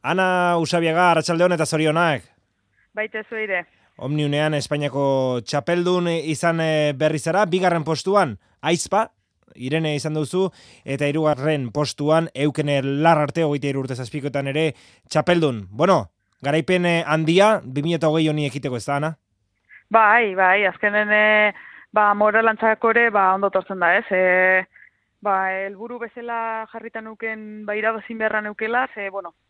Ana Usabiaga, arratsaldeon eta zorionak. Baita zuire. Omniunean Espainiako txapeldun izan berri zara, bigarren postuan Aizpa, Irene izan duzu, eta hirugarren postuan Eukene Larrarte, 23 urte zazpikoetan ere txapeldun. Bueno, garaipen handia, 2020 honi ekiteko ez da, Ana? Bai, azkenen moralantzakore ondo tortzen da, ez? Helburu bezala jarritan nuken irabazin beharra neukela,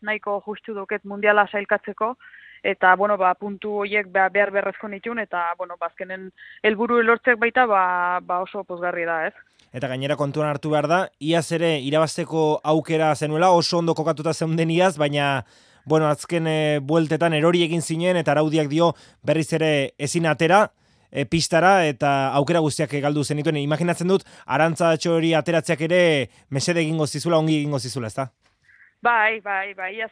nahiko justu duket mundiala sailkatzeko, eta, puntu horiek behar berrezko nitun, eta, azkenen helburu lortzek baita, oso pozgarri da, ez? Eta gainera kontuan hartu behar da, iaz ere irabazteko aukera zenuela, oso ondo kokatuta zeunden iaz, baina, azken bueltetan erori egin zinen, eta araudiak dio berriz ere ezin atera, pistara eta aukera guztiak galdu zenituen. Imaginatzen dut, Arantxatxo hori ateratzeak ere mesede egingo zizula, ongi egingo zizula, ezta? Bai,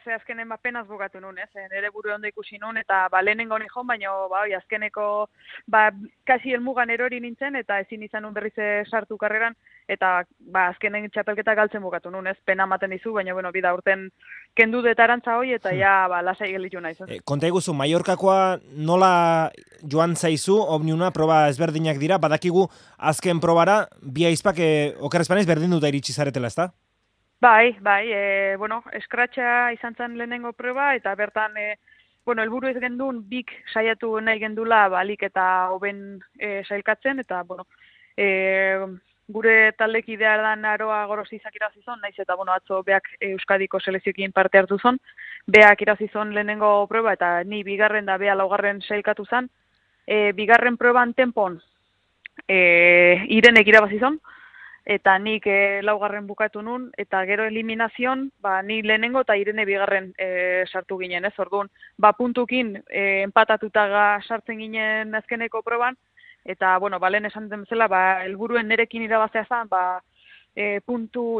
ze azkenen penaz bukatu nun, ez? Nere buru ondo ikusi nun, eta lehenengo nihon, baina azkeneko kasi helmugan erori nintzen, eta ezin izan nun berriz sartu karreran, eta azkenen txapelketa galtzen bukatu nun, ez? Pena ematen dizu, baina bida urten kendu dut Arantza hoi, eta lasai gelitu naiz. Konta iguzu, Mallorcakoa nola joan zaizu, Omniuna proba ezberdinak dira, badakigu azken probara, bi Aizpak okerrezpanez berdin duta iritsi zaretela, ezta? Bai, eskratxa izan zen lehenengo proba, eta bertan, helburu ez gendun, bik saiatu nahi gendula, balik eta hoben sailkatzen, eta, gure taldekidea dan Aroa Gorosizak irazizon, naiz eta, atzo beak Euskadiko selezioekin parte hartu zon, beak irazizon lehenengo proba, eta ni bigarren da bea laugarren sailkatu zen, bigarren proban tempon Irenek irabazizon, eta nik laugarren bukatu nun, eta gero eliminazion, ni lehenengo eta Irene bigarren sartu ginen, ez? Orduan, puntukin empatatuta sartzen ginen azkeneko proban, eta, lehen esan den bezala, helburuen nerekin irabaztea zen, puntu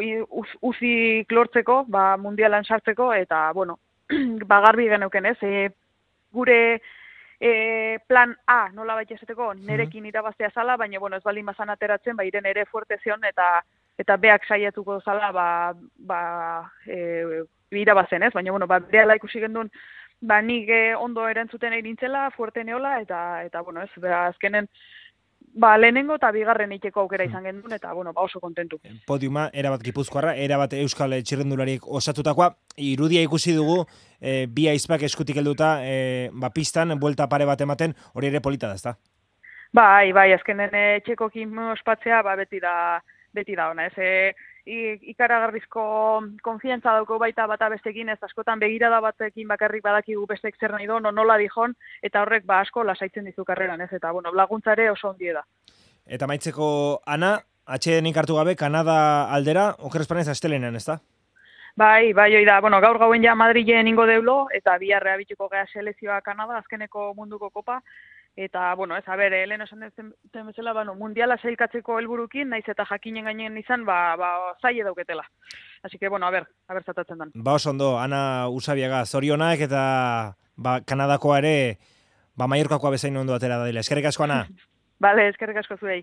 uzik lortzeko, mundialan sartzeko, eta, garbi geneuken, ez? Gure plan A nola baita esateko nerekin irabaztea zala, baina ez baldin bazan ateratzen, Irene ere fuerte zion, eta beak saiatuko zala irabazen, ez? Baina, behala ikusi gendun, nik ondo erantzuten eirintzela, fuerte neola, eta ez, azkenen, lehenengo eta bigarren iteko aukera izan gendun, eta, oso kontentu. Podiuma, erabat Gipuzkoarra, erabat Euskal txirrendulariek osatutakoa, irudia ikusi dugu, bi Aizpak eskutik helduta, pistan, buelta pare bat ematen, hori ere polita da, ezta? Bai, azkenen txekokin ospatzea, beti da ona, ez? Ikaragarrizko konfiantza dauko baita bata bestekin, ez askotan begirada batekin bakarrik badakigu bestek zer nahi do, nola dijon, eta horrek asko lasaitzen dizu karreran, ez? Eta, laguntzare oso ondie da. Eta maitzeko, Ana, atxedenik hartu gabe, Kanada aldera, okerrezpanez astelenean, ez da? Bai, hoi da, gaur gauen ja Madrilen ingo deulo, eta biharrea bituko gea selezioa Kanada, azkeneko munduko kopa, eta, lehen esan den bezala, mundiala sailkatzeko helburukin, naiz eta jakinen gainen izan, zaila dauketela. Así que, a ver zatatzen dan. Oso ondo, Ana Usabiaga, zorionak, eta, Kanadakoa ere, Mallorcakoa bezain ondo atera da dela. Eskerrik asko, Ana. Bale, eskerrik asko zuei.